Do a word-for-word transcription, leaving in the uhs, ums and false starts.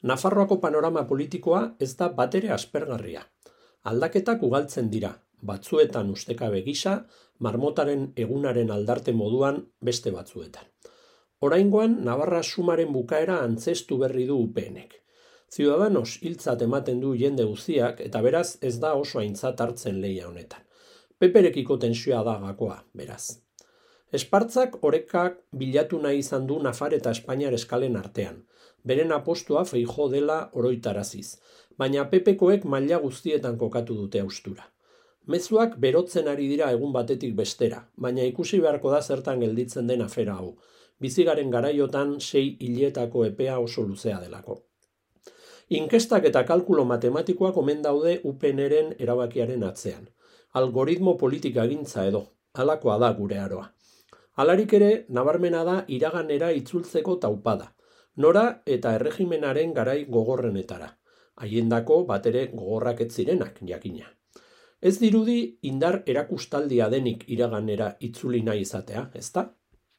Nafarroako panorama politikoa ez da batere aspergarria. Aldaketak ugaltzen dira, batzuetan ustekabe gisa, marmotaren egunaren aldarte moduan beste batzuetan. Oraingoan, Navarra sumaren bukaera antzestu berri du U P N-ek. Ciudadanos hiltzat ematen du jende guztiak eta beraz ez da oso aintzat hartzen lehia honetan. Peperekiko tensioa da gakoa, beraz. Espartzak orekak bilatu nahi izan du Nafar eta Espainiar eskalen artean. Beren apostua Feijóo dela oroitaraziz, baina Pepekoek maila guztietan kokatu dute haustura. Mezuak berotzen ari dira egun batetik bestera, baina ikusi beharko da zertan gelditzen den afera hau. Bizigaren garaiotan sei hiletako epea oso luzea delako. Inkestak eta kalkulo matematikoak omen daude U P N-ren erabakiaren atzean. Algoritmo politika gintza edo, halakoa da gure aroa. Halarik ere, nabarmena da iraganera itzultzeko taupada, nora eta erregimenaren garai gogorrenetara. Haiendako batere gogorrak ez zirenak, jakina. Ez dirudi indar erakustaldia denik iraganera itzuli nahi izatea, ezta?